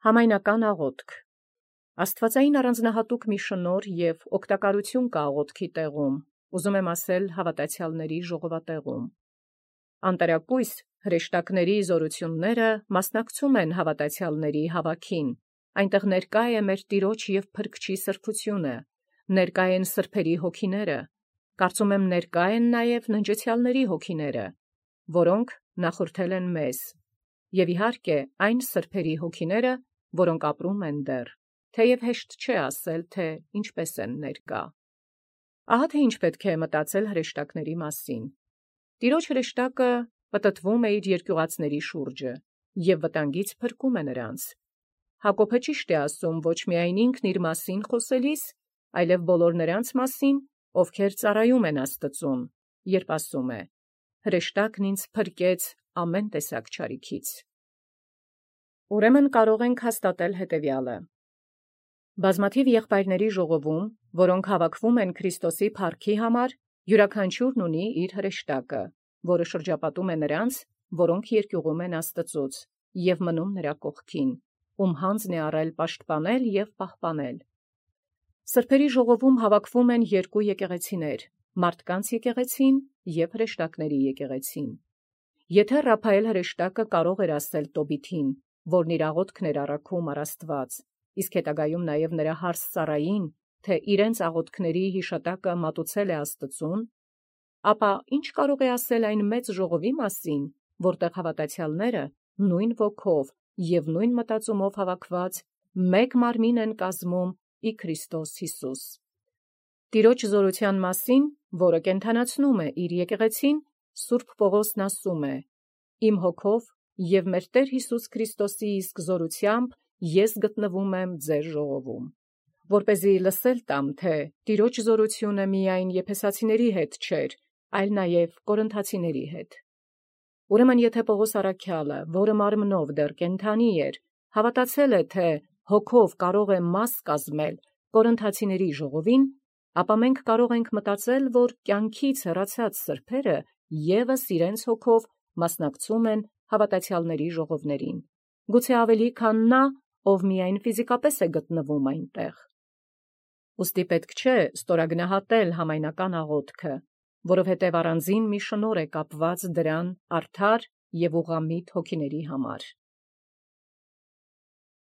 Համայնական աղոթք։ Աստվածային առանձնահատուկ մի շնորհ և օգտակարություն կա աղոթքի տեղում, ուզում եմ ասել հավատացյալների ժողովատեղում։ Անտարակույս հրեշտակների զորությունները մասնակցում են հավատացյալների հավաքին, այնտեղ ներկա է մեր Տիրոջ և Փրկչի սրբությունը, ներկա են սրբերի հոգիները, կարծում եմ ներկա են նաև ննջեցյալների հոգիները, որոնք նախորդել են մեզ, և իհարկե այն սրբերի հոգիները, որոնք ապրում են դեռ, թեև հեշտ չէ ասել, թե ինչպես են ներկա։ Ահա թե ինչ պետք է մտածել հրեշտակների մասին։ Տիրոջ հրեշտակը պտտվում է իր երկյուղածների շուրջը և վտանգից փրկում է նրանց։ Հակոբը ճիշտ է ասում ոչ միայն ինքն իր մասին խոսելիս, այլև բոլոր նրանց մասին, ովքեր ծառայում են Աստծուն, երբ ասում է. «Հրեշտակն ինձ փրկեց ամեն տեսակ չարիքից»։ Ուրեմն կարող ենք հաստատել հետևյալը. բազմաթիվ եղբայրների ժողովում, որոնք հավաքվում են Քրիստոսի փառքի համար, յուրաքանչյուրն ունի իր հրեշտակը, որը շրջապատում է նրանց, որոնք երկյուղում են Աստծուց և մնում նրա կողքին, ում հանձն է առել պաշտպանել և պահպանել։ Սրբերի ժողովում հավաքվում են երկու եկեղեցիներ՝ մարդկանց եկեղեցին և հրեշտակների եկեղեցին։ Եթե Ռափայել հրեշտակը կարող էր ասել Տոբիթին, որն իր աղոթքն էր առաքում առ Աստված, իսկ հետագայում նաև նրա հարս Սառային, թե իրենց աղոթքների հիշատակը մատուցել է Աստծուն, ապա ի՞նչ կարող է ասել այն մեծ ժողովի մասին, որտեղ հավատացյալները նույն ոգով և նույն մտածումով հավաքված մեկ մարմին են կազմում ի Քրիստոս Հիսուս։ Տիրոջ զորության մասին, որը կենդանացնում է իր եկեղեցին, Սուրբ Պողոսն ասում է. «Իմ հոգով և մեր Տեր Հիսուս Քրիստոսի իսկ զորությամբ ես գտնվում եմ ձեր ժողովում»։ Որպեսզի լսել տամ, թե Տիրոջ զորությունը միայն եփեսացիների հետ չէր, այլ նաև կորինթացիների հետ։ Ուրեմն եթե Պողոս առաքյալը, որը մարմնով դեռ կենդանի էր, հավատացել է, թե հոգով կարող է մաս կազմել կորինթացիների ժողովին, ապա մենք կարող ենք մտածել, որ կյանքից հեռացած սրբերը ևս իրենց հոգով մասնակցում են հավատացյալների ժողովներին, գուցե ավելի, քան նա, ով միայն ֆիզիկապես է գտնվում այնտեղ։ Ուստի պետք չէ ստորագնահատել համայնական աղոթքը, որովհետև առանձին մի շնորհ է կապված դրան արդար և ուղղամիտ հոգիների համար։